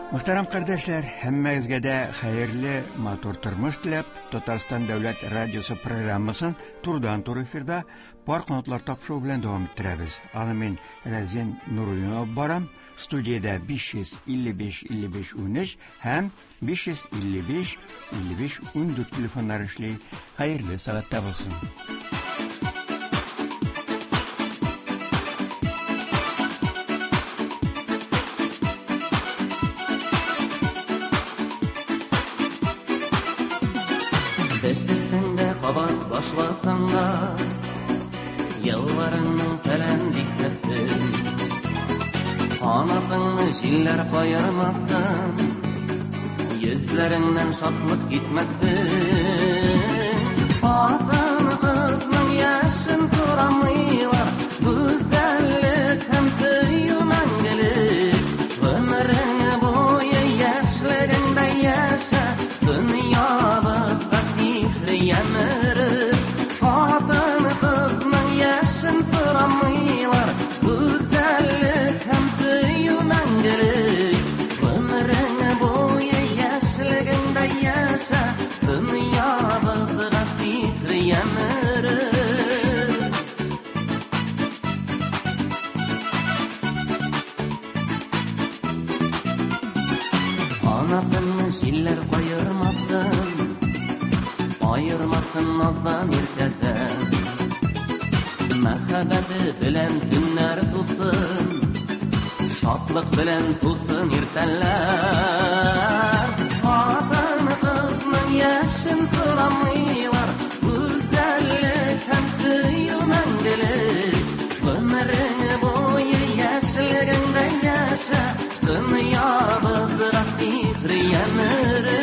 Мөхтәрәм кардәшләр, һәммәгезгә дә хәерле, матур тормыш теләп, Татарстан дәүләт радиосы программасын турыдан-туры эфирда Пар канатлар тапшыруы белән дәвам иттерәбез. Аны мин Рәзин Нуруллин алып барам. Студиядә 555 55 13 һәм 555 55 14 телефоннары эшли. Хәерле сәгатьтә булсын. Бетерсәң дә кабат башласаң да, Елларыңның фәлән дистәсен, Канатыңны җилләр каермасын, Йөзләреңнән шатлык китмәсен. Хатын-кызның яшен сорамыйлар, Гүзәллек һәм сөю мәңгелек. Гомерең буе яшьлегеңдә яшә, Дөньябызга сихри ямь өреп. Хатын-кызның яшен сорамыйлар, Гүзәллек һәм сөю мәңгелек. Гомерең буе яшьлегеңдә яшә, Дөньябызга сихри ямь өреп. Канатыңны җилләр каермасын, Аермасын наздан иркәдән. Мәхәббәте белән төннәр тусын, Шатлык белән тусын иртәләр. Хатын-кызның яшен сорамыйлар, Гүзәллек һәм сөю мәңгелек. Гомерең буе яшьлегеңдә яшә, Дөньябызга сихри ямь өреп.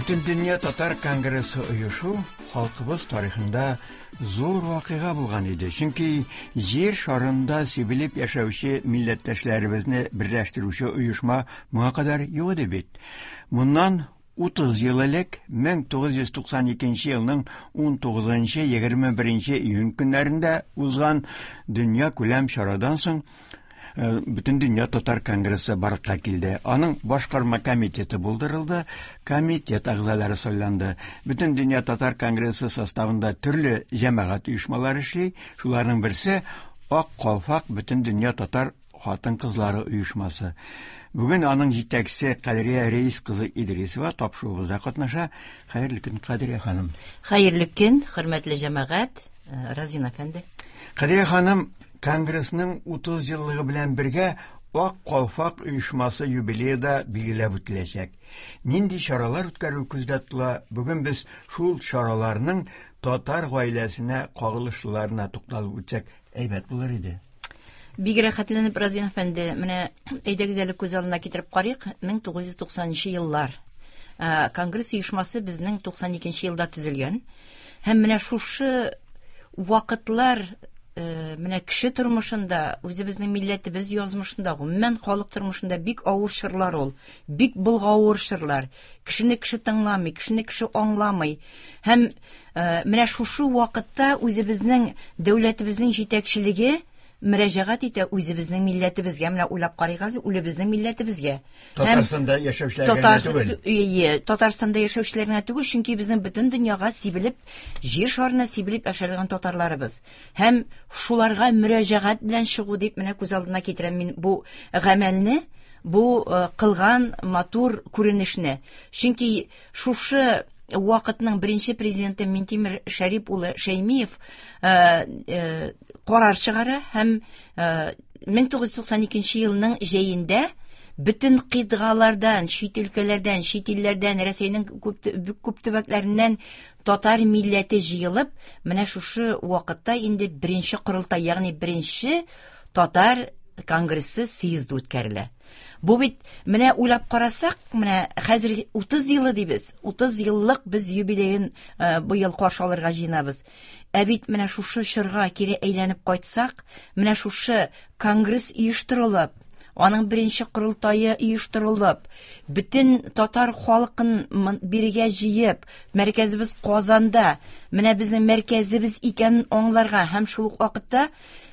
Бөтендөнья татар конгрессы оешу халкыбыз тарихында зур вакыйга булган иде. Чөнки җир шарында сибелеп яшәүче милләттәшләребезне берләштерүче оешма моңа кадәр юк иде бит. Моннан 30 ел элек 1992 елның 19-21 июнь көннәрендә узган дөнья күләм чарадан соң Бөтендөнья татар конгрессы барлыкка килде. Аның башкарма комитеты булдырылды, комитет әгъзалары сайланды. Бөтендөнья татар конгрессы составында төрле җәмәгать оешмалары эшли. Шуларның берсе Ак калфак Бөтендөнья татар хатын-кызлары оешмасы. Бүген аның җитәкчесе Кадрия Рәис кызы Идрисова тапшыруыбызда катнаша. Хәерле көн, Кадрия ханым. Хәерле көн, хөрмәтле җәмәгать, Разин әфәнде. Кадрия ханым, Конгрессның 30 еллыгы белән бергә Ак калфак оешмасы юбилее да билгеләп үтеләчәк. Нинди чаралар үткәрү күздә тотыла? Бүген без шул чараларның татар гаиләсенә кагылышлыларына тукталып үтсәк, әйбәт булыр иде. Бик рәхәтләнеп, Разин әфәнде, менә әйдәгез әле күз алдына китереп карыйк, 1990 еллар. Конгресс оешмасы безнең 92 елда төзелгән. Һәм менә шушы вакытлар менә кеше тормышында, үзебезнең милләтебез язмышында, гомумән халык тормышында бик авыр чорлар ул. Бик болгавыр чорлар. Кешене кеше тыңламый, кешене кеше аңламый. Һәм менә шушы вакытта үзебезнең дәүләтебезнең җитәкчелеге мөрәҗәгать итә үзебезнең милләтебезгә. Менә уйлап карыйк әле, үзебезнең милләтебезгә. Татарстанда яшәүчеләргә генә түгел. Ие, Татарстанда яшәүчеләр генә түгел, чөнки безнең бөтен дөньяга сибелеп, җир шарына сибелеп яшәгән татарларыбыз. Һәм шуларга мөрәҗәгать белән чыгу дип менә күз алдына китерәм мин бу гамәлне, бу кылган матур күренешне. Чөнки шушы вакытның беренче президенты Минтимер Шәрип улы Шәймиев карар чыгара һәм 1992 елның җәендә бөтен кыйтгалардан, чит өлкәләрдән, чит илләрдән, Рәсәйнең күп төбәкләреннән татар милләте җыелып, менә шушы вакытта инде беренче корылтай, ягъни беренче татар конгрессы съезды үткәрелә. Бу бит менә уйлап карасак, менә хәзер 30 елы дибез. 30 еллык без юбилеен быел каршы алырга җыенабыз. Ә бит менә шушы чорга кире әйләнеп кайтсак, менә шушы конгресс оештырылып, Аның беренче корылтае оештырылып, бөтен татар халкын бирегә җыеп, мәркәзебез Казанда, менә безнең мәркәзебез икәнен аңларга һәм шул ук вакытта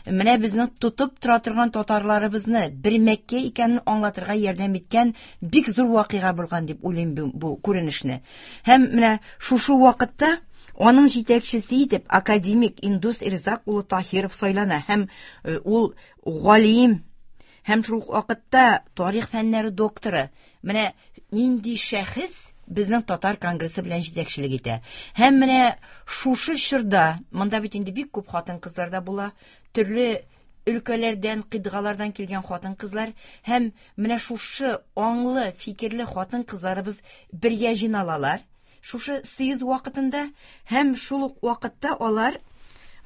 менә безнең тотып тора торган татарларыбызны бер Мәккә икәнен аңлатырга ярдәм иткән бик зур вакыйга булган дип уйлыйм бу күренешне. Һәм менә шушы вакытта аның җитәкчесе итеп академик Индус Ирзак улы Таһиров сайлана һәм ул галим һәм шул ук вакытта тарих фәннәре докторы. Менә нинди шәхес безнең татар конгрессы белән җитәкчелек итә. Һәм менә шушы чорда, монда бит инде бик күп хатын-кызлар да була, төрле өлкәләрдән, кыйтгалардан килгән хатын-кызлар һәм менә шушы аңлы, фикерле хатын-кызларыбыз бергә җыйналалар. Шушы съезд вакытында һәм шул ук вакытта алар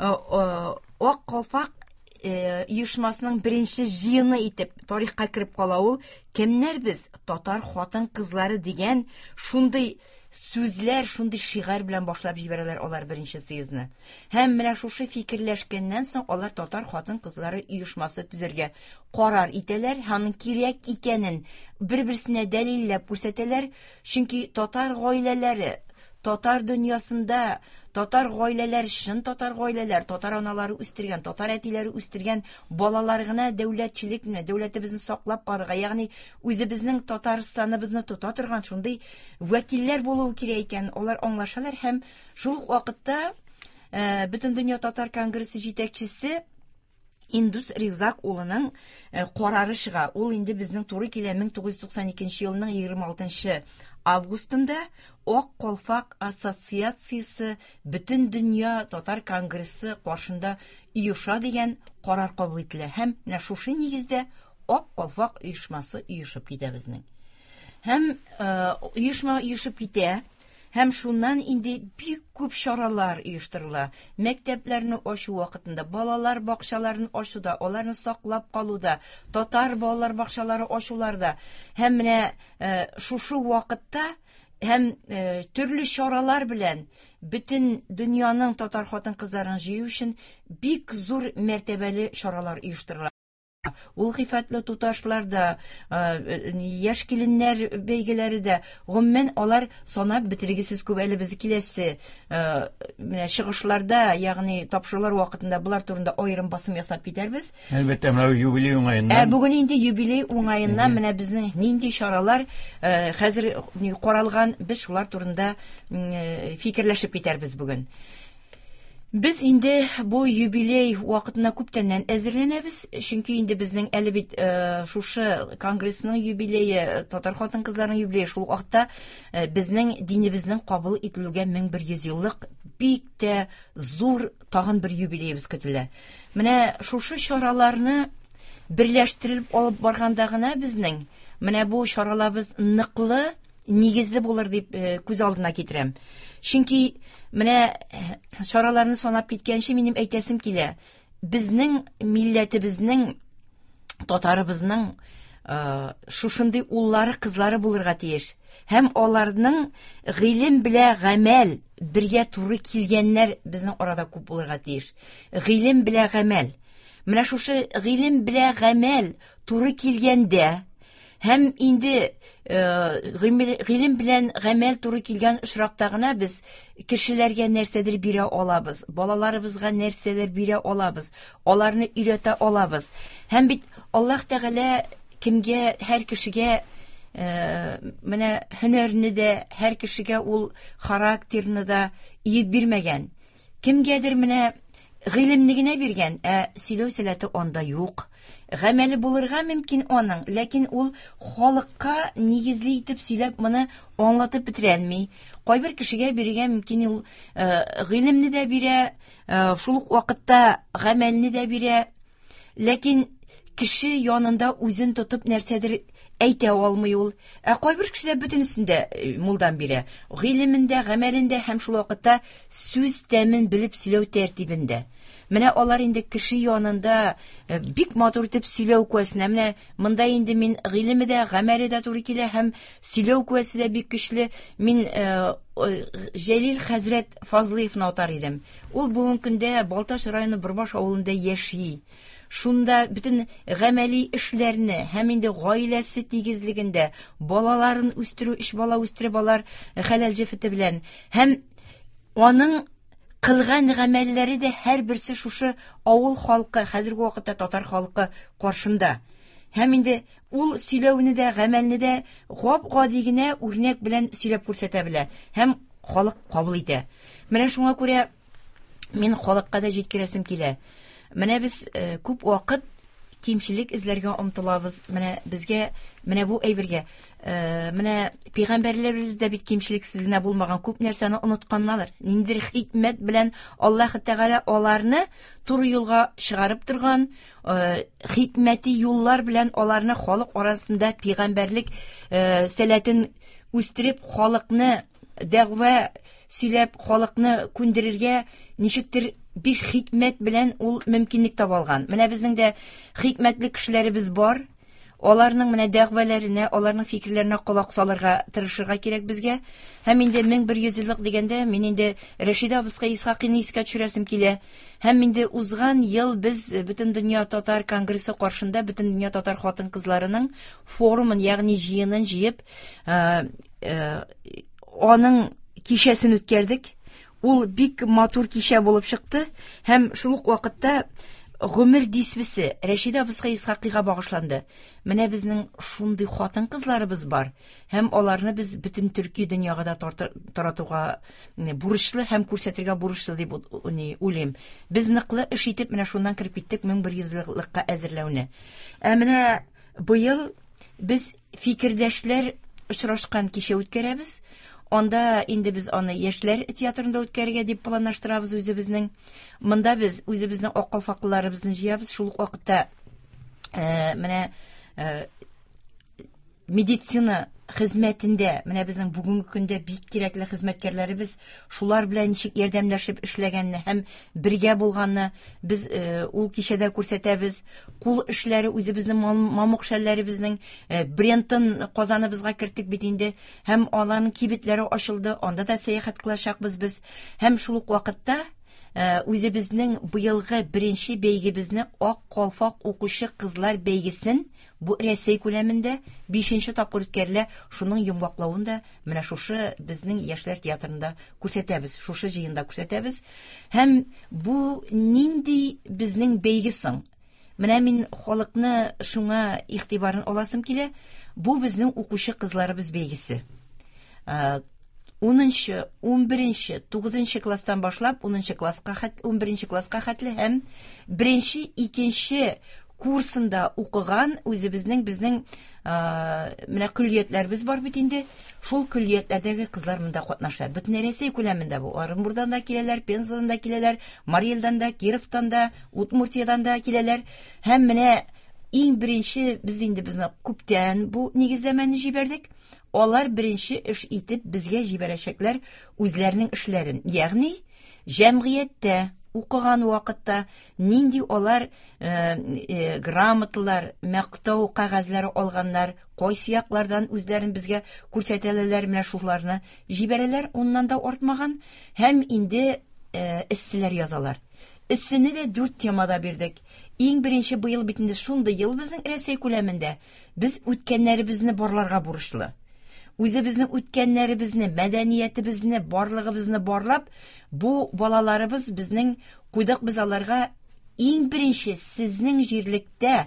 Ак калфак оешмасының беренче җыены итеп тарихка кереп кала ул. Кемнәр без? Татар хатын-кызлары дигән шундый сүзләр, шундый шигарь белән башлап җибәрәләр алар беренче съездны. Һәм менә шушы фикерләшкәннән соң алар татар хатын-кызлары оешмасы төзергә карар итәләр, һәм аның кирәк икәнен бер-берсенә дәлилләп күрсәтәләр. Чөнки татар гаиләләре, татар дөньясында татар гаиләләр, чын татар гаиләләр, татар аналары үстергән, татар әтиләре үстергән балалар гына дәүләтчелекне, дәүләтебезне саклап калырга, ягъни үзебезнең Татарстаныбызны тота торган шундый вәкилләр булуы кирәк икән, алар аңлашалар һәм шул ук вакытта Бөтендөнья татар конгрессы җитәкчесе Индус Ризак улының карары чыга. Ул инде безнең туры килә 1992 елның 26 августында Ак калфак ассоциациясе Бөтендөнья татар конгрессы каршында оеша дигән карар кабул ителә һәм менә шушы нигездә Ак калфак оешмасы оешып китә безнең. Һәм оешма оешып китә. Һәм шуннан инде бик күп чаралар оештырыла. Мәктәпләрне ачу вакытында, балалар бакчаларын ачуда, аларны саклап калуда, татар балалар бакчалары ачуларда. Һәм менә шушы вакытта һәм төрле чаралар белән бөтен дөньяның татар хатын-кызларын җыю өчен бик зур мәртәбәле чаралар оештырыла. Ул гыйффәтле туташлар да, яшь киленнәр бәйгеләре дә, гомумән, алар санап бетергесез күп. Әле без киләсе менә чыгышларда, ягъни тапшырулар вакытында болар турында аерым басым ясап китәрбез. Әлбәттә, менә юбилей уңаеннан. Ә бүген инде юбилей уңаеннан менә безнең нинди чаралар хәзер каралган, без шулар турында фикерләшеп китәрбез бүген. Без инде бу юбилей вакытына күптәннән әзерләнәбез, чөнки инде безнең әле бит шушы конгрессның юбилее, татар хатын-кызларының юбилее, шул ук вакытта безнең динебезнең кабул ителүгә 1100 еллык бик тә зур тагын бер юбилеебез көтелә. Менә шушы чараларны берләштереп алып барганда гына безнең менә бу чараларыбыз ныклы, нигезле булыр дип күз алдына китерәм. Чөнки менә чараларны санап киткәнче минем әйтәсем килә. Безнең милләтебезнең, татарыбызның шушындый уллары, кызлары булырга тиеш. Һәм аларның гыйлем белә гамәл бергә туры килгәннәр безнең арада күп булырга тиеш. Гыйлем белә гамәл. Менә шушы гыйлем белә гамәл туры килгәндә һәм инде гыйлем белән гамәл туры килгән очракта гына без кешеләргә нәрсәдер бирә алабыз, балаларыбызга нәрсәдер бирә алабыз, аларны өйрәтә алабыз. Һәм бит Аллаһ Тәгалә кемгә, һәр кешегә менә һөнәрне дә, һәр кешегә ул характерны да иеп бирмәгән. Кемгәдер менә гыйлемне генә биргән, ә сөйләү сәләте анда юк. Гамәле булырга мөмкин аның, ләкин ул халыкка нигезле итеп сөйләп моны аңлатып бетерә алмый. Кайбер кешегә бирергә мөмкин ул гыйлемне дә бирә, шул ук вакытта гамәлне дә бирә. Ләкин кеше янында үзен тотып нәрсәдер әйтә алмый ул. Ә кайбер кешеләр бөтенесен дә мулдан бирә. Гыйлемендә, гамәлендә һәм шул вакытта сүз тәмен белеп сөйләү тәртибендә. Менә алар инде кеше янында бик матур итеп сөйләү куәсенә. Менә монда инде мин гыйлеме дә, гамәле дә туры килә һәм сөйләү куәсе дә бик көчле. Мин Җәлил хәзрәт Фазлыевны атар идем. Ул бүгенге көндә Балтач районы Борбаш авылында яши. Шунда бөтен гамәли эшләрне һәм инде гаиләсе тигезлегендә балаларын үстерү, өч бала үстереп алар хәләл җефете белән һәм аның кылган гамәлләре дә һәрберсе шушы авыл халкы, хәзерге вакытта татар халкы каршында. Һәм инде ул сөйләүне дә, гамәлне дә гап-гади генә үрнәк белән сөйләп күрсәтә белә һәм халык кабул итә. Менә шуңа күрә мин халыкка да җиткерәсем килә. Менә без күп вакыт кимчелек эзләргә омтылабыз. Менә безгә, менә бу әйбергә, менә пәйгамбәрләребез дә бит кимчелексез генә булмаган, күп нәрсәне онытканнар. Ниндидер хикмәт белән Аллаһ Тәгалә аларны туры юлга чыгарып торган, хикмәти юллар белән аларны халык арасында пәйгамбәрлек сәләтен үстереп, халыкны дәгъва сөйләп, халыкны күндерергә ничектер бик хикмәт белән ул мөмкинлек таба алган. Менә безнең дә хикмәтле кешеләребез бар. Аларның менә дәгъваләренә, аларның фикерләренә колак салырга тырышырга кирәк безгә. Һәм инде 1100 еллык дигәндә, мин инде Рәшидә абыскай Исхакыйны искә төшерәсем килә. Һәм инде узган ел без Бөтендөнья татар конгрессы каршында Бөтендөнья татар хатын-кызларының форумын, ягъни җыенын җыеп, аның кичәсен үткәрдек. Ул бик матур кичә булып чыкты һәм шул ук вакытта гомер дисбесе Рәшидә абыскай Исхакыйга багышланды. Менә безнең шундый хатын-кызларыбыз бар һәм аларны без бөтен төрки дөньяга да таратуга бурычлы һәм күрсәтергә бурычлы дип уйлыйм. Без ныклы эш итеп менә шуннан кереп киттек 1100 еллыкка әзерләүне. Ә менә быел без фикердәшләр очрашкан кичә үткәрәбез. Анда инде без аны яшьләр театрында үткәрергә дип планлаштырабыз үзебезнең. Монда без үзебезнең ак калфаклыларыбызны җыябыз. Шул ук вакытта менә медицина хезмәтендә, менә безнең бүгенге көндә бик кирәкле хезмәткәрләребез, шулар белән ничек ярдәмләшеп эшләгәнне һәм бергә булганны без ул кичәдә күрсәтәбез. Кул эшләре, үзебезнең мамык шәлләребезнең брендын Казаныбызга керттек бит инде. Һәм аларның кибетләре ачылды, анда да сәяхәт кылачакбыз без. Һәм шул ук вакытта үзебезнең быелгы беренче бәйгебезне Ак калфак укучы кызлар бәйгесен, бу Рәсәй күләмендә 5нче тапкыр үткәрелә, шуның йомгаклавын да менә шушы безнең яшьләр театрында күрсәтәбез, шушы җыенда күрсәтәбез. Һәм бу нинди безнең бәйге соң? Менә мин халыкны шуңа игътибарын аласым килә. Бу безнең укучы кызларыбыз бәйгесе. 10-нчы, 11-нче, 9-нчы класстан башлап 10-нчы класска хәт, 11-нче класска хәтле һәм 1-нче, 2-нче курсында укыган үзебезнең безнең менә көллиятләребез бар бит инде. Шул көллиятләрдәге кызлар монда катнаша. Бөтен Рәсәй күләмендә бу. Орынбурдан да киләләр, Пензадан да киләләр, Марий-Элдан да, Кировтан да, Удмуртиядан да киләләр. Һәм менә иң беренче без инде безне күптән бу нигезләмәне җибәрдек. Алар беренче эш итеп безгә җибәрәчәкләр үзләренең эшләрен. Ягъни җәмгыятьтә укыган вакытта нинди алар грамоталар, мактау кәгазьләре алганнар, кайсы яклардан үзләрен безгә күрсәтәләр, менә шуларны җибәрәләр, уннан да артмаган. Һәм инде эсселәр язалар. Эссене дә 4 темада бирдек. Иң беренче быел бит инде шундый ел безнең Рәсәй күләмендә. Без үткәннәребезне барларга бурычлы. Үзебезнең үткәннәребезне, мәдәниятебезне, барлыгыбызны барлап, бу балаларыбыз безнең куйдык без аларга иң беренче сезнең җирлектә,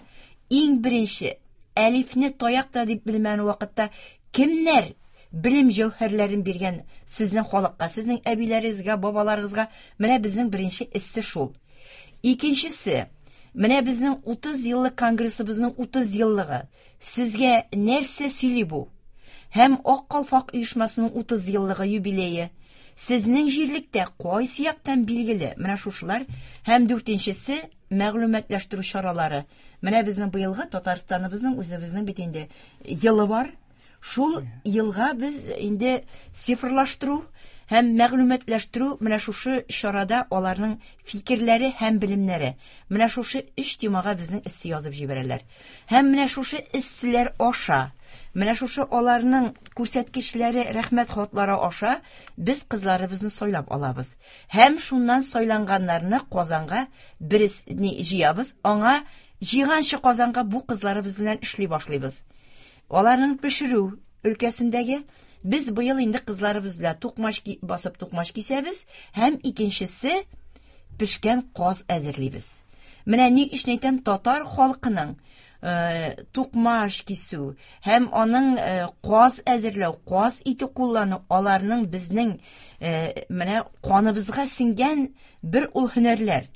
иң беренче әлифне таяк та дип белмәгән вакытта кемнәр белем җәүһәрләрен биргән сезнең халыкка, сезнең әбиләрегезгә, бабаларыгызга? Менә безнең беренче эссе шул. Икенчесе, менә безнең 30 еллык конгрессыбызның 30 еллыгы. Сезгә нәрсә сөйли бу? Һәм Ак калфак оешмасының 30 еллыгы юбилее. Сезнең җирлектә кайсы яктан билгеле? Менә шушылар. Һәм дүртенчесе, мәгълүматлаштыру чаралары. Менә безнең быелгы Татарстаныбызның үзебезнең бит инде елы бар. Шул елга без инде цифрлаштыру һәм мәгълүматлаштыру, менә шушы чарада аларның фикерләре һәм белемнәре. Менә шушы өч темага безнең эссе язып җибәрәләр. Һәм менә шушы эсселәр аша Менә шушы аларның күрсәткечләре, рәхмәт хатлары аша без кызларыбызны сайлап алабыз. Һәм шуннан сайланганнарны Казанга бересне җыябыз, аңа җыйганчы Казанга бу кызларыбыз белән эшли башлыйбыз. Аларның пешерү өлкәсендәге без быел инде кызларыбыз белән тукмач басып тукмач кисәбез һәм икенчесе пешкән каз әзерлибез. Менә ни өчен әйтәм, татар халкының тукмаш кисү һәм аның каз әзерләү, каз ите куллану аларның безнең менә каныбызга сеңгән бер ул һөнәрләр.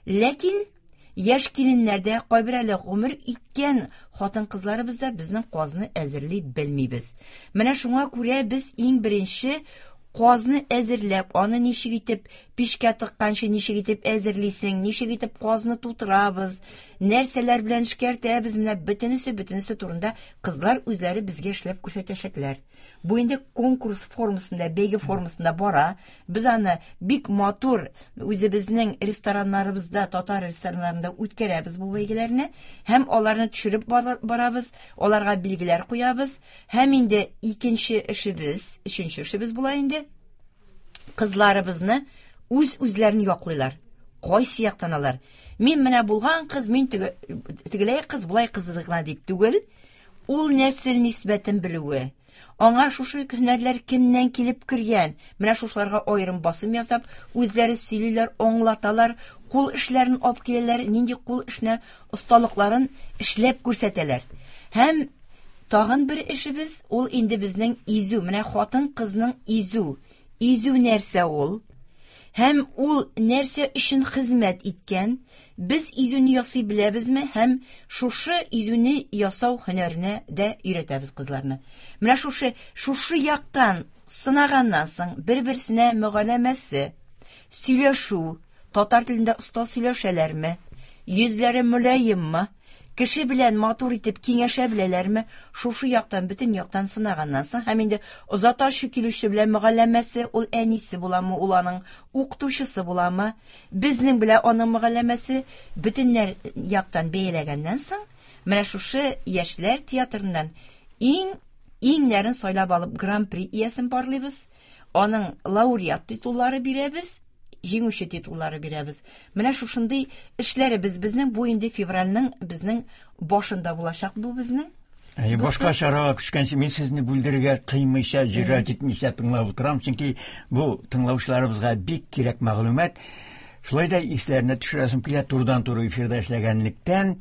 Ләкин яшь киленнәр дә, кайбер әле гомер иткән хатын-кызларыбыз да безнең казны әзерли белмибез. Менә шуңа күрә без иң беренче казны әзерләп, аны ничек итеп пичкә тыкканчы ничек итеп әзерлисең, ничек итеп казны тутырабыз, нәрсәләр белән эшкәртәбез, менә бөтенесе турында кызлар үзләре безгә эшләп күрсәтәчәкләр. Бу инде конкурс формасында, бәйге формасында бара. Без аны бик матур үзебезнең рестораннарыбызда, татар рестораннарында үткәрәбез бу бәйгеләрне һәм аларны төшереп барабыз, аларга билгеләр куябыз. Һәм инде икенче эшебез, өченче эшебез була инде. Кызларыбызны үз-үзләрен яклыйлар. Кайсы яктан алар? Мин менә булган кыз, мин тегеләй кыз, болай кыз гына дип түгел. Ул нәсел нисбәтен белүе, аңа шушы һөнәрләр кемнән килеп кергән, менә шушыларга аерым басым ясап, үзләре сөйлиләр, аңлаталар, кул эшләрен алып киләләр, нинди кул эшенә осталыкларын эшләп күрсәтәләр. Һәм тагын бер эшебез, ул инде безнең изү, менә хатын-кызның изү. Изү нәрсә ул? Һәм ул нәрсә өчен хезмәт иткән? Без изүне ясый беләбезме? Һәм шушы изүне ясау һөнәренә дә өйрәтәбез кызларны. Менә шушы яктан сынаганнан соң бер-берсенә мөгаләмәсе, сөйләшү, татар телендә оста сөйләшәләрме, йөзләре мөлаеммы, кеше белән матур итеп киңәшә беләләрме, шушы яктан, бөтен яктан сынаганнан соң, һәм инде озаташы килүче белән мөгаләмәсе, ул әнисе буламы, ул аның укытучысы буламы, безнең белән аның мөгаләмәсе бөтен яктан бәяләгәннән соң, менә шушы яшьләр театрыннан иңнәрен сайлап алып гран-при иясен барлыйбыз, аның лауреат титуллары бирәбез, җиңүче титуллары бирәбез. Менә шушындый эшләребез безнең бу инде февральнең безнең башында булачак бу безнең. Әйе, башка чарага күчкәнче мин сезне бүлдерергә кыймыйча, җөрьәт итмичә тыңлап утырам, чөнки бу тыңлаучыларыбызга бик кирәк мәгълүмат. Шулай да исләренә төшерәсем килә, турыдан-туры эфирда эшләгәнлектән,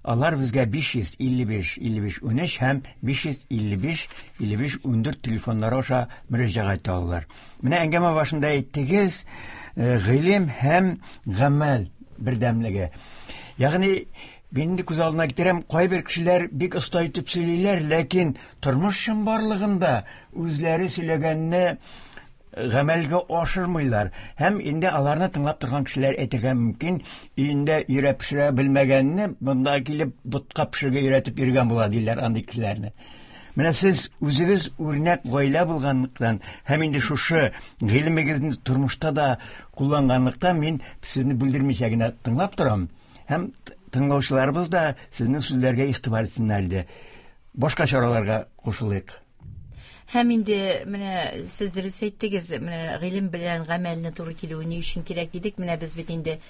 алар безгә 555 55 13 һәм 555 55 14 телефоннары аша мөрәҗәгать итә алалар. Менә әңгәмә башында әйттегез, гыйлем һәм гамәл бердәмлеге. Ягъни мин инде күз алдына китерәм, кайбер кешеләр бик оста итеп сөйлиләр, ләкин тормыш чынбарлыгында үзләре сөйләгәнне гамәлгә ашырмыйлар. Һәм инде аларны тыңлап торган кешеләр әйтергә мөмкин, өендә өйрәп пешерә белмәгәнне монда килеп ботка пешерергә өйрәтеп йөргән була диләр андый кешеләрне. Менә сез үзегез үрнәк гаилә булганлыктан һәм инде шушы гыйлемегезне тормышта да кулланганлыктан мин сезне бүлдермичә генә тыңлап торам. Һәм тыңлаучыларыбыз да сезнең сүзләргә игътибар итсеннәр иде. Башка чараларга кушылыйк. Һәм инде менә сез дөрес әйттегез, менә гыйлем белән гамәлне туры килүе ни өчен кирәк дидек. Менә без бит инде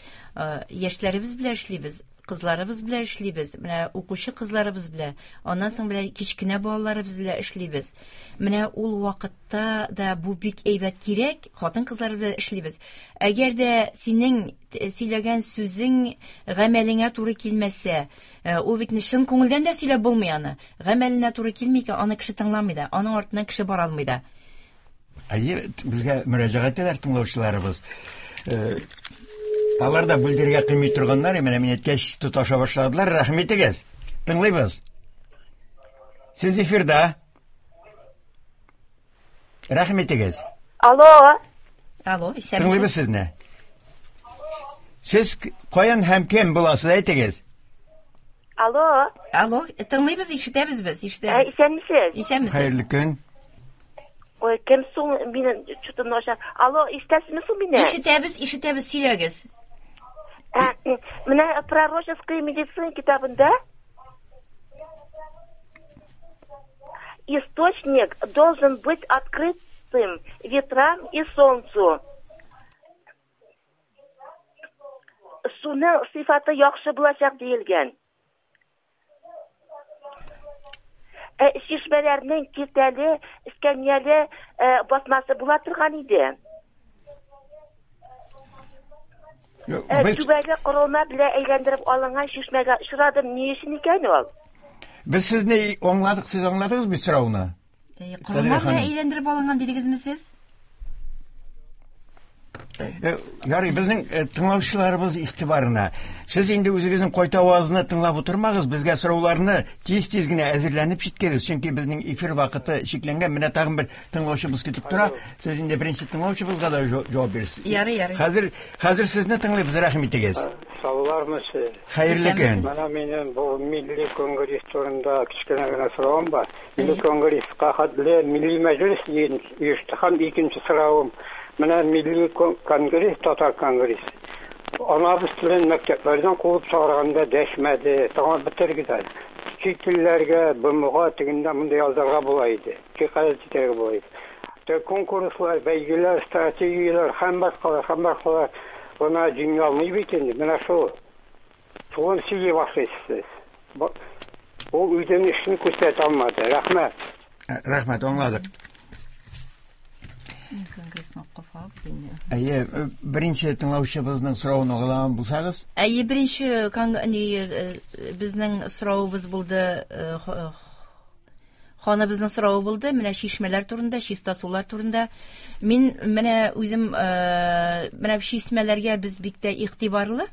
яшьләребез белән эшлибез, кызларыбыз белән эшлибез, менә укучы кызларыбыз белән, аннан соң белән кечкенә балаларыбыз белән эшлибез. Менә ул вакытта да бу бик әйбәт кирәк, хатын-кызлар белән эшлибез. Әгәр дә синең сөйләгән сүзең гамәлеңә туры килмәсә, ул бит чын күңелдән дә сөйләп булмый аны. Гамәленә туры килми икән, аны кеше тыңламый да, аның артыннан кеше бара алмый да. Әйе, безгә мөрәҗәгать итәләр тыңлаучыларыбыз. Алар да бүлдерергә кыймый торганнар, менә мин әйткәч тоташа башладылар. Рәхим итегез. Тыңлыйбыз. Сез эфирда. Рәхим итегез. Алло. Алло, исәнмесез. Тыңлыйбыз сезне. Сез каян һәм кем буласыз, әйтегез. Алло. Алло, тыңлыйбыз, ишетәбез без, ишетәбез. Исәнмесез. Исәнмесез. Хәерле көн. Ой, кем соң мине что-то начар. Алло, ишетәсезме соң мине? Ишетәбез, ишетәбез, сөйләгез. Менә пророческая медицина китабында. Источник должен быть открытым ветрам и солнцу. Суның сыйфаты яхшы булачак диелгән. Ә, чишмәләрнең киртәле, эскәмияле басмасы була торган иде. Без... Түбәле корылма белән әйләндереп алынган чишмәгә очрадым. Ни өчен икән ул? Без сезне аңладык, сез аңладыгыз бит сорауны? Корылма белән әйләндереп алынган дидегезме сез? Ярый, безнең тыңлаучыларыбыз игътибарына. Сез инде үзегезнең кайтавазны тыңлап утырмагыз, безгә сорауларны тиз-тиз генә әзерләнеп җиткерегез, чөнки безнең эфир вакыты чикләнгән. Менә тагын бер тыңлаучыбыз көтеп тора. Сез инде беренче тыңлаучыбызга да җавап бирерсез. Ярый, ярый. Хәзер, хәзер сезне тыңлыйбыз, рәхим итегез. Саулармысыз? Хәерле көн. Менә минем бу милли конгресс турында кечкенә генә соравым бар. Милли конгресска хәтле милли мәҗлес оешты һәм икенче соравым. Менә милли конгресс, татар конгресс. Анабыз телен мәктәпләрдән куып чыгарганда дәшмәде, тыңлап бетерге. Чит телләргә, БМОга тегендә монда язарга була иде. Шикаять итәргә була иде. Конкурслар, бәйгеләр, стратегияләр һәм башкалар, һәм башкалар гына җиңә алмый бит инде. Менә шул. Шуны сөйли башлыйсыз. Ул үзенең эшен күрсәтә алмады. Рәхмәт. Рәхмәт, аңладык. Әйе, беренче тыңлаучыбызның соравын аңлаган булсагыз? Әйе, беренче безнең соравыбыз булды, ханыбызның соравы булды, менә чишмәләр турында, чиста сулар турында. Мин менә үзем менә чишмәләргә без бик тә игътибарлы.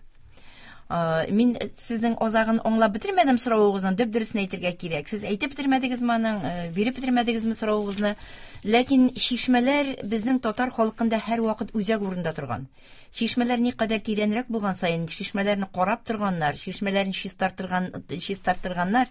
Мин сезнең азагын аңлап бетермәдем соравыгызны, дөп дөресен әйтергә кирәк. Сез әйтеп бетермәдегезме аның, биреп бетермәдегезме соравыгызны? Ләкин чишмәләр безнең татар халкында һәрвакыт үзәк урында торган. Чишмәләр никадәр тирәнрәк булган саен, чишмәләрне карап торганнар, чишмәләрне чистартырган, чистартырганнар.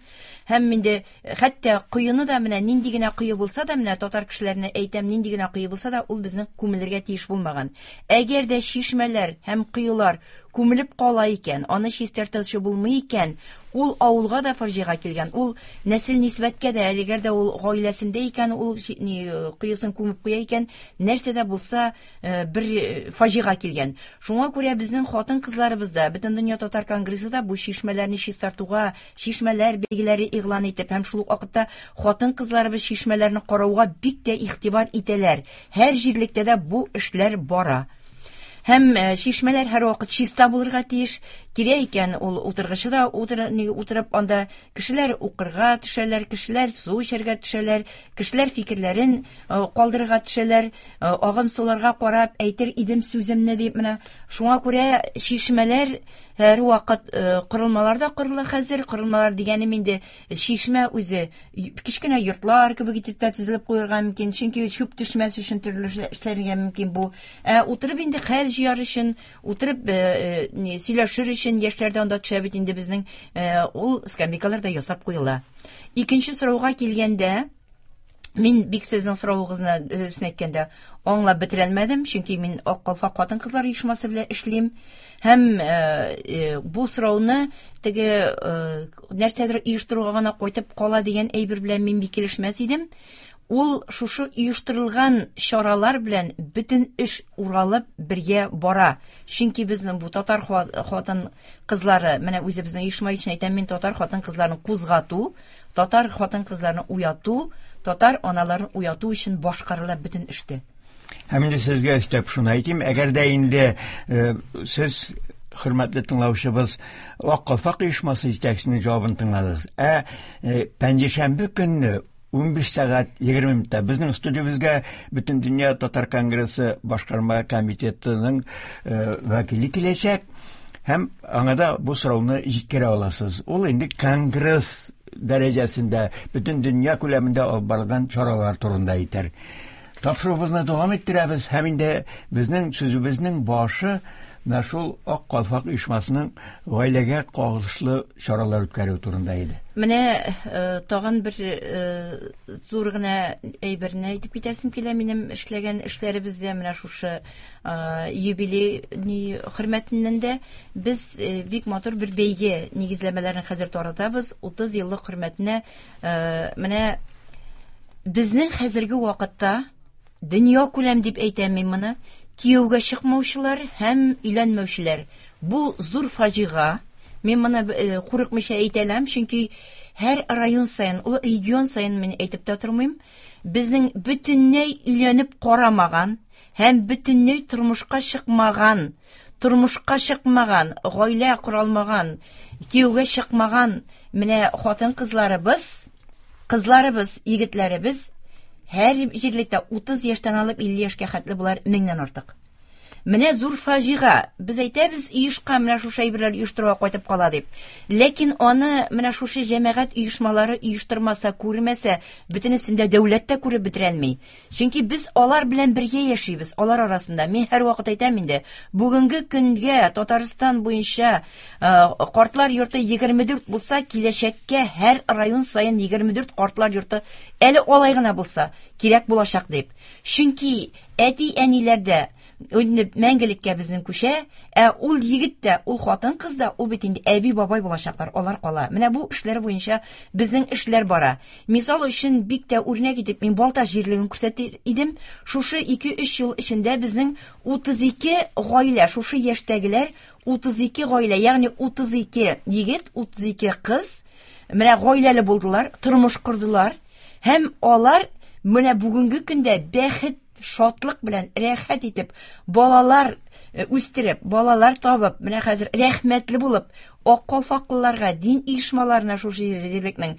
Һәм инде хәтта коены да менә нинди генә кое булса да, менә татар кешеләренә әйтәм, нинди генә кое булса да, ул безнең күмелергә тиеш булмаган. Әгәр дә чишмәләр һәм коелар күмелеп кала икән, аны чистартучы булмый икән, ул авылга да фаҗига килгән, ул нәсел нисбәткә дә, әгәр дә ул гаиләсендә икән, ул коесын күмеп куя икән, нәрсә дә булса бер фаҗига килгән. Шуңа күрә безнең хатын-кызларыбыз да, Бөтендөнья татар конгрессы да бу чишмәләрне чистартуга, чишмәләр бәйгеләре игълан итеп һәм шул ук вакытта хатын-кызларыбыз чишмәләрне карауга бик тә игътибар итәләр. Һәр җирлектә дә бу эшләр бара. Һәм чишмәләр һәрвакыт чиста булырга тиеш. Кирәк икән, ул утыргычы да утырып, анда кешеләр укырга төшәләр, кешеләр су эчәргә төшәләр, кешеләр фикерләрен калдырырга төшәләр, агым суларга карап әйтер идем сүземне дип. Менә шуңа күрә чишмәләр һәрвакыт корылмалар да корыла хәзер. Корылмалар дигәнем инде чишмә үзе кечкенә йортлар кебек итеп тә төзелеп куярга мөмкин, чөнки чүп төшмәс өчен төрле эшләргә мөмкин бу. Утырып инде хәл җыяр өчен, утырып сөйләшер өчен яшьләр дә анда төшә бит инде безнең, ул скамейкалар да ясап куела. Икенче сорауга килгәндә, мин бик сезнең соравыгызны дөресен әйткәндә аңлап бетерәлмәдем, чөнки мин Ак калфак хатын-кызлар оешмасы белән эшлим. Һәм бу сорауны теге нәрсәдер оештыруга гына кайтып кала дигән әйбер белән мин бик килешмәс идем. Ул шушы оештырылган чаралар белән бөтен эш уралып бергә бара. Чөнки безнең бу татар хатын-кызлары, менә үзебезнең оешма өчен әйтәм, мин татар хатын-кызларын кузгату, татар хатын-кызларын уяту, татар аналарын уяту өчен башкарыла бөтен эштә. Һәм инде сезгә өстәп шуны әйтим, әгәр дә инде сез, хөрмәтле тыңлаучыбыз, Ак калфак оешмасы җитәкчесенең җавабын тыңладыгыз. Пәнҗешәмбе көнне 15 сәгать 20 минутта безнең студиябезгә Бөтендөнья татар конгрессы башкарма комитетының вәкиле киләчәк һәм аңа да бу сорауны җиткерә аласыз. Ул инде конгресс дәрәҗәсендә бөтен дөнья күләмендә алып барылган чаралар турында әйтер. Тапшыруыбызны дәвам иттерәбез һәм инде безнең сүзебезнең башы менә шул Ак калфак оешмасының гаиләгә кагылышлы чаралар үткәрү турында иде. Менә тагын бер зур гына әйберне әйтеп китәсем килә. Минем эшләгән эшләребездә менә шушы юбилей хөрмәтеннән дә без бик матур бер бәйге нигезләмәләрен хәзер таратабыз. 30 еллык хөрмәтенә менә Безнең хәзерге вакытта дөнья күләм дип әйтәм мин моны, кияүгә чыкмаучылар һәм өйләнмәүчеләр. Бу зур фаҗига. Мин моны курыкмыйча әйтә алам, чөнки һәр район саен, ул регион саен мин әйтеп тә тормыйм, безнең бөтенләй өйләнеп карамаган һәм бөтенләй тормышка чыкмаган, тормышка чыкмаган, гаилә кора алмаган, кияүгә чыкмаган менә хатын-кызларыбыз, кызларыбыз, егетләребез һәр җирлектә 30 яшьтән алып 50 яшькә хәтле болар меңнән артык. Менә зур фаҗига. Без әйтәбез, оешка менә шушы әйберләр оештыруга кайтып кала дип. Ләкин аны менә шушы җәмәгать оешмалары оештырмаса, күрмәсә, бөтенесен дә дәүләт тә күреп бетерәлми. Чөнки без алар белән бергә яшибез, алар арасында. Мин һәрвакыт әйтәм инде, бүгенге көнгә Татарстан буенча картлар йорты 24 булса, киләчәккә һәр район саен 24 картлар йорты әле алай гына булса, кирәк булачак дип. Чөнки әти-әниләр дә инде мәңгелеккә безнең күчә, ә ул егет тә, ул хатын-кыз да, ул бит инде әби-бабай булачаклар, алар кала. Менә бу эшләр буенча безнең эшләр бара. Мисал өчен бик тә үрнәк итеп мин Балтач җирлеген күрсәтер идем. Шушы 2-3 ел эчендә безнең 32 гаилә, шушы яшьтәгеләр 32 гаилә, ягъни 32 егет, 32 кыз менә гаиләле булдылар, тормыш кордылар. Һәм алар менә бүгенге көндә бәхет, шатлык белән рәхәт итеп, балалар үстереп, балалар табып, менә хәзер рәхмәтле булып, ак калфаклыларга, дин оешмаларына шушы җирлекнең,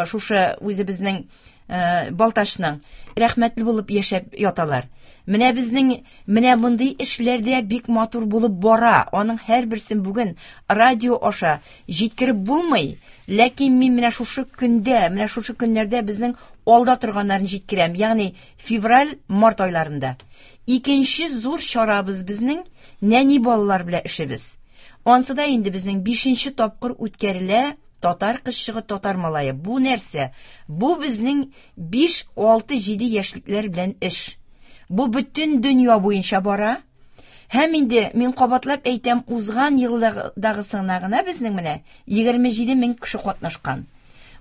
шушы үзебезнең Балтачның рәхмәтле булып яшәп яталар. Менә безнең менә мондый эшләрдә бик матур булып бара. Аның һәрберсен бүген радио аша җиткереп булмый. Ләкин мин менә шушы көндә, менә шушы көннәрдә безнең алда торганнарын җиткерәм. Ягъни февраль, март айларында. Икенче зур чарабыз безнең нәни балалар белән эшебез. Ансы да инде безнең 5нче тапкыр үткәрелә татар кызчыгы, татар малае. Бу нәрсә? Бу безнең 5, 6, 7 яшьлекләр белән эш. Бу бөтен дөнья буенча бара. Һәм инде мин кабатлап әйтәм, узган елдагысына гына безнең менә 27 мең кеше катнашкан.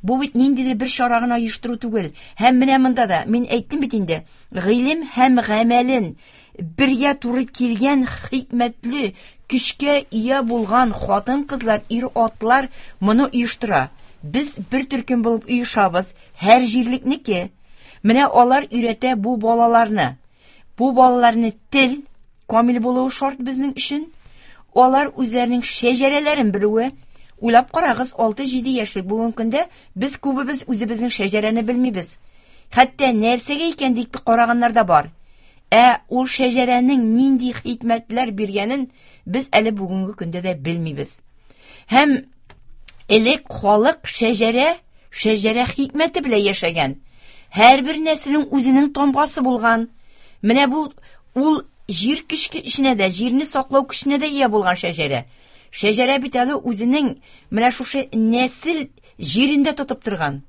Бу бит ниндидер бер чара гына оештыру түгел. Һәм менә монда да мин әйттем бит инде, гыйлем һәм гамәлен бергә туры килгән хикмәтле, көчкә ия булган хатын-кызлар, ир-атлар моны оештыра. Без бер төркем булып оешабыз, һәр җирлекнеке. Менә алар өйрәтә бу балаларны. Бу балаларны тел камил булуы шарт безнең өчен. Алар үзләренең шәҗәрәләрен белүе. Уйлап карагыз, 6-7 яшьлек бүгенге көндә без күбебез үзебезнең шәҗәрәне белмибез. Хәтта нәрсәгә икән дип караганнар да бар. Ә ул шәҗәрәнең нинди хикмәтләр биргәнен без әле бүгенге көндә дә белмибез. Һәм элек халык шәҗәрә, шәҗәрә хикмәте белән яшәгән. Һәрбер нәселнең үзенең тамгасы булган. Менә бу ул җир көчкә эченә дә, җирне саклау көченә дә ия булган шәҗәрә. Шәҗәрә бит әле үзенең менә шушы нәсел җирендә тотып торган.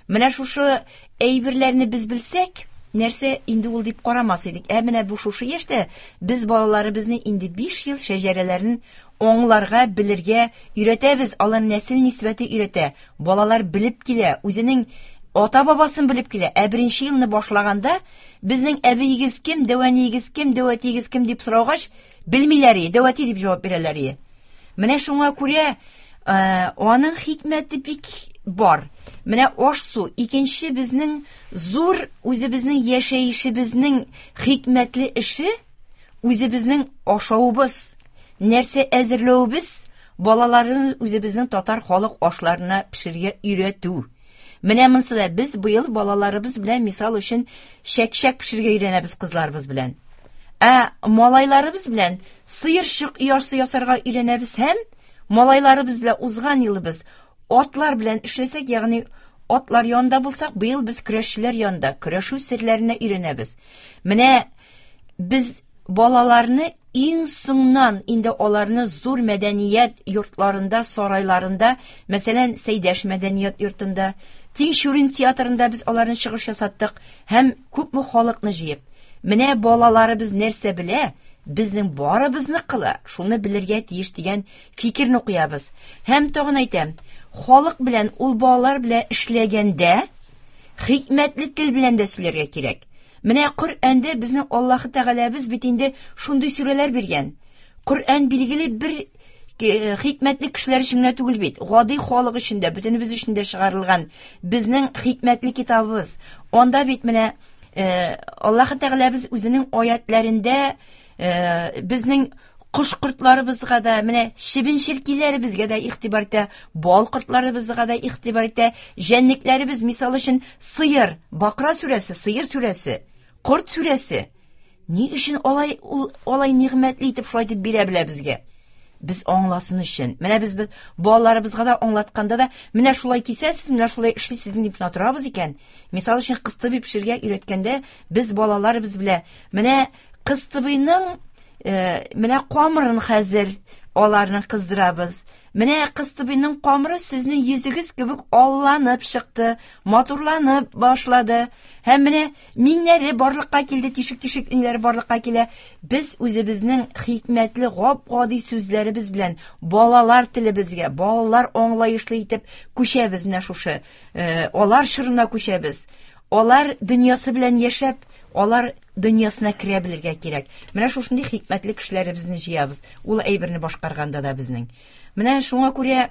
Менә шушы әйберләрне без белсәк, нәрсә инде ул дип карамас идек. Ә менә бу шушы яшьтә без балаларыбызны инде 5 ел шәҗәрәләрен аңларга, белергә өйрәтәбез. Алар нәсел нисбәте өйрәтә. Балалар белеп килә, үзенең ата-бабасын белеп килә. Ә беренче елны башлаганда безнең әбиегез кем, дәүәниегез кем, дәүәтиегез кем дип сораугач, белмиләр, дәүәти дип җавап бирәләр. Менә шуңа күрә аның хикмәте бик бар. Менә аш-су икенче безнең зур үзебезнең яшәешебезнең хикмәтле эше, үзебезнең ашавыбыз, нәрсә әзерләвебез, балаларны үзебезнең татар халык ашларына пешерергә өйрәтү. Менә монысы да без быел балаларыбыз белән мисал өчен чәк-чәк пешерергә өйрәнәбез кызларыбыз белән. Ә малайларыбыз белән сыерчык оясы ясарга өйрәнәбез һәм малайларыбыз белән узган елыбыз атлар белән эшләсәк, ягъни атлар янында булсак, быел без көрәшчеләр янында көрәшү серләренә өйрәнәбез. Менә без балаларны иң соңнан инде аларны зур мәдәният йортларында, сарайларында, мәсәлән, Сәйдәш мәдәният йортында, Тинчурин театрында без аларны чыгыш ясаттык һәм күпме халыкны җыеп. Менә балаларыбыз нәрсә белә, безнең барыбызны кыла, шуны белергә тиеш дигән фикерне куябыз. Һәм тагын әйтәм, халык белән ул балалар белән эшләгәндә, Хикмәтле тел белән дә сөйләргә кирәк. Менә Коръәндә безнең Аллаһы Тәгаләбез бит инде шундый сүрәләр биргән. Коръән билгеле бер хикмәтле кешеләр өчен генә түгел бит. Гади халык өчен дә, бөтенебез өчен дә чыгарылган безнең хикмәтле китабыбыз. Анда бит менә Аллаһы Тәгаләбез үзенең аятләрендә безнең кош кортларыбызга да, менә чебен-черкиләребезгә дә игътибар итә, бал кортларыбызга да игътибар итә, җәнлекләребез, мисал өчен, сыер, Бакра сүрәсе, сыер сүрәсе, корт сүрәсе. Ни өчен алай ул алай нигъмәтле итеп шулай итеп бирә белә безгә? Без аңласын өчен. Менә без балаларыбызга да аңлатканда да, менә шулай кисәсез, менә шулай эшлисез дип кенә торабыз икән. Мисал өчен, кыстыбый пешерергә өйрәткәндә, без балаларыбыз белән менә кыстыбыйның менә камырын хәзер аларны кыздырабыз. Менә кыстыбыйның камыры сезнең йөзегез кебек алланып чыкты, матурланып башлады. Һәм менә миңнәре барлыкка килде, тишек-тишек миңнәре барлыкка килә. Без үзебезнең хикмәтле гап-гади сүзләребез белән балалар телебезгә, балалар аңлаешлы итеп күчәбез менә шушы. Алар чорына күчәбез. Алар дөньясы белән яшәп, алар дөньясына керә белергә кирәк. Менә шушындый хикмәтле кешеләребезне җыябыз. Ул әйберне башкарганда да безнең. Менә шуңа күрә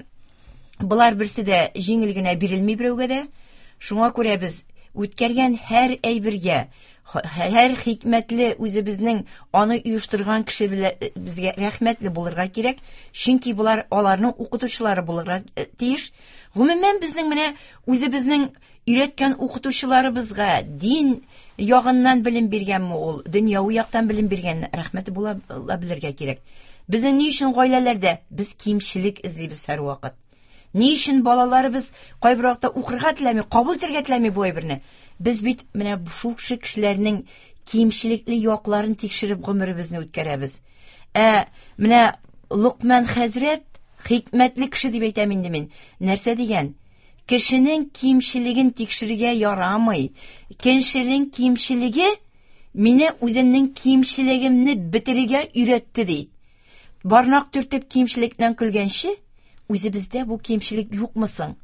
болар берсе дә җиңел генә бирелми берәүгә дә. Шуңа күрә без үткәргән һәр әйбергә, һәр хикмәтле үзебезнең аны оештырган кеше белән безгә рәхмәтле булырга кирәк, чөнки болар аларның укытучылары булырга тиеш. Гомумән, безнең менә үзебезнең өйрәткән укытучыларыбызга дин ягыннан белем биргәнме ул, дөньяви яктан белем биргән, рәхмәте була белергә кирәк. Безнең ни өчен гаиләләрдә без кимчелек эзлибез һәрвакыт? Ни өчен балаларыбыз кайбер вакытта укырга теләми, кабул итәргә теләми бу әйберне? Без бит менә шушы кешеләрнең кимчелекле якларын тикшереп гомеребезне үткәрәбез. Ә менә Лукман хәзрәт хикмәтле кеше дип әйтәм инде мин. Нәрсә дигән? Кешенең кимчелеген тикшерергә ярамый. Кешенең кимчелеге мине үземнең кимчелегемне бетерергә өйрәтте ди. Бармак төртеп кимчелектән көлгәнче, үзебездә бу кимчелек юкмы соң?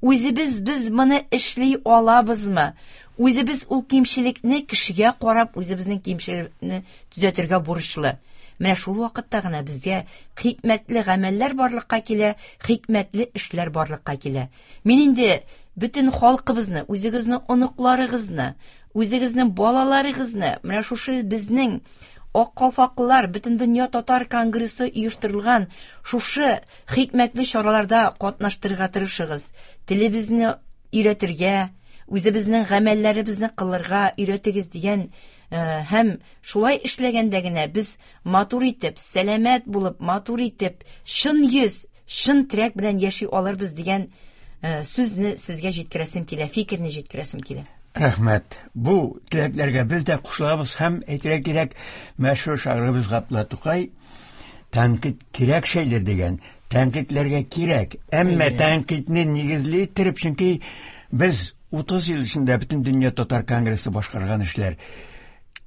Үзебез без моны эшли алабызмы? Үзебез ул кимчелекне кешегә карап, үзебезнең кимчелекне төзәтергә бурычлы. Менә шул вакытта гына безгә хикмәтле гамәлләр барлыкка килә, хикмәтле эшләр барлыкка килә. Мин инде бөтен халкыбызны, үзегезнең оныкларыгызны, үзегезнең балаларыгызны, менә шушы безнең Ак калфаклылар Бөтен дөнья татар конгрессы оештырылган шушы хикмәтле чараларда катнаштырырга тырышыгыз. Телебезне өйрәтергә, үзебезнең гамәлләребезне кылырга өйрәтегез дигән һәм шулай эшләгәндә генә без матур итеп, сәламәт булып, матур итеп, чын йөз, чын терәк белән яши алырбыз дигән сүзне сезгә җиткерәсем килә, фикерне җиткерәсем килә. Рәхмәт. Бу теләкләргә без дә кушылабыз һәм әйтергә кирәк, мәшһүр шагыйребез Габдулла Тукай тәнкыйть кирәк шәйдер дигән. Тәнкыйтьләргә кирәк, әмма тәнкыйтьне нигезле иттереп, чөнки без 30 ел эчендә бөтен дөнья татар конгрессы башкарган эшләр.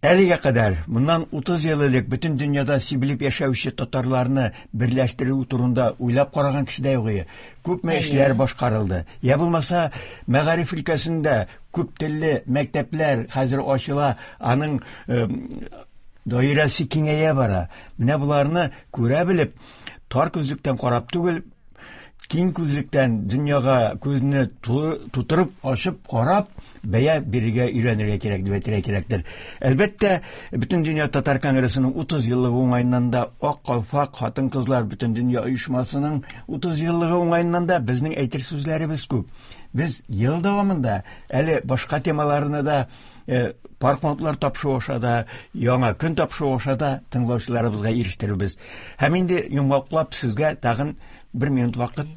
Әлегә кадәр, моннан 30 ел элек бөтен дөньяда сибелеп яшәүче татарларны берләштерү турында уйлап караган кеше дә юк иде. Күпме эшләр башкарылды. Я булмаса, мәгариф өлкәсендә күп телле мәктәпләр хәзер ачыла, аның даирәсе киңәя бара. Менә боларны күрә белеп, тар күзлектән карап түгел, киң күзлектән дөньяга күзне тутырып, ачып карап, бәя бирергә өйрәнергә кирәк дип әйтергә кирәктер. Әлбәттә, Бөтен дөнья татар конгрессының 30 еллыгы уңаеннан да Ак калфак хатын-кызлар бөтен дөнья оешмасының 30 еллыгы уңаеннан да безнең әйтер сүзләребез күп. Без ел дәвамында әле башка темаларны да пар канатлар тапшыруы аша да, яңа көн тапшыруы аша да тыңлаучыларыбызга ирештерербез. Һәм инде йомгаклап сезгә тагын бер минут вакыт.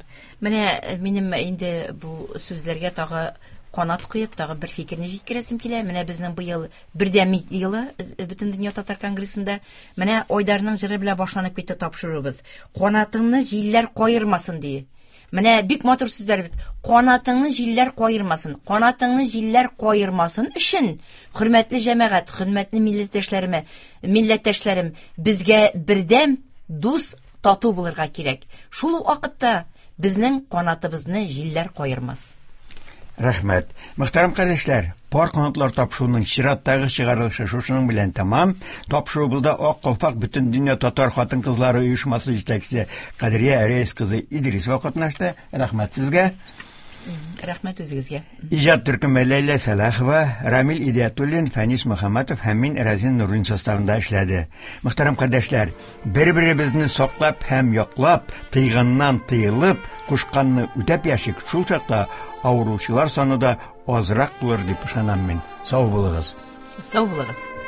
Менә минем инде бу сүзләргә тагы канат куеп, тагы бер фикерне җиткерәсем килә. Менә безнең быел бердәм елы Бөтен дөнья татар конгрессында. Менә Айдарның җыры белән башланып китте тапшыруыбыз. Канатыңны җилләр каермасын ди. Менә бик матур сүзләр бит. Канатыңны җилләр каермасын. Канатыңны җилләр каермасын өчен, хөрмәтле җәмәгать, хөрмәтле милләттәшләремә, милләттәшләрем, безгә бердәм, дус, тату булырга кирәк. Шул вакытта безнең канатыбызны җилләр каермас. Рәхмәт. Мөхтәрәм кардәшләр, Пар канатлар тапшыруының чираттагы чыгарылышы шушының белән тәмам. Тапшыруыбызда Ак калфак Бөтендөнья татар хатын-кызлары оешмасы җитәкчесе Кадрия Рәис кызы Идрисова катнашты. Рәхмәт сезгә. Рәхмәт үзегезгә. Иҗат төркеме Ләйлә Сәлахова, Рамил Идиятуллин, Фәнис Мөхәммәтов һәм мин Разин Нуруллин составында эшләде. Мөхтәрәм кардәшләр, бер-беребезне саклап һәм яклап, тыйганнан тыелып, кушканны үтәп яшик, шул чакта авыручылар саны да азрак булыр дип ышанам мин. Сау булыгыз. Сау булыгыз.